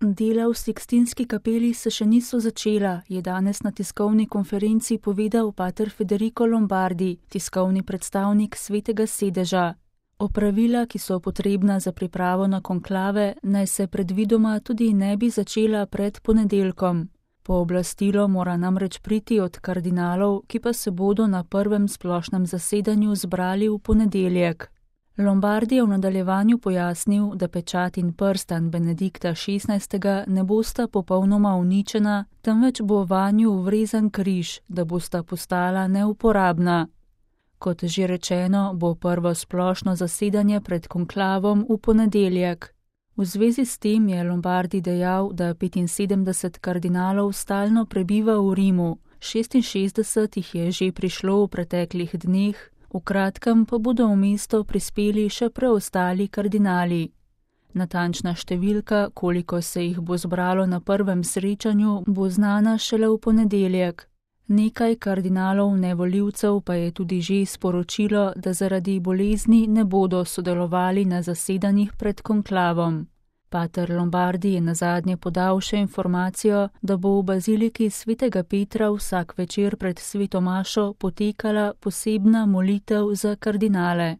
Dela v Sikstinski kapeli se še niso začela, je danes na tiskovni konferenci povedal pater Federico Lombardi, tiskovni predstavnik Svetega sedeža. Opravila, ki so potrebna za pripravo na konklave, naj se predvidoma tudi ne bi začela pred ponedeljkom. Pooblastilo mora namreč priti od kardinalov, ki pa se bodo na prvem splošnem zasedanju zbrali v ponedeljek. Lombardi je v nadaljevanju pojasnil, da pečat in prstan Benedikta XVI. Ne bosta popolnoma uničena, temveč bo vanju vrezan križ, da bosta postala neuporabna. Kot že rečeno, bo prvo splošno zasedanje pred konklavom v ponedeljek. V zvezi s tem je Lombardi dejal, da 75 kardinalov stalno prebiva v Rimu, 66 jih je že prišlo v preteklih dneh, v kratkem pa bodo v mesto prispeli še preostali kardinali. Natančna številka, koliko se jih bo zbralo na prvem srečanju, bo znana šele v ponedeljek. Nekaj kardinalov nevoljivcev pa je tudi že sporočilo, da zaradi bolezni ne bodo sodelovali na zasedanjih pred konklavom. Pater Lombardi je nazadnje podal še informacijo, da bo v baziliki Svetega Petra vsak večer pred sveto mašo potekala posebna molitev za kardinale.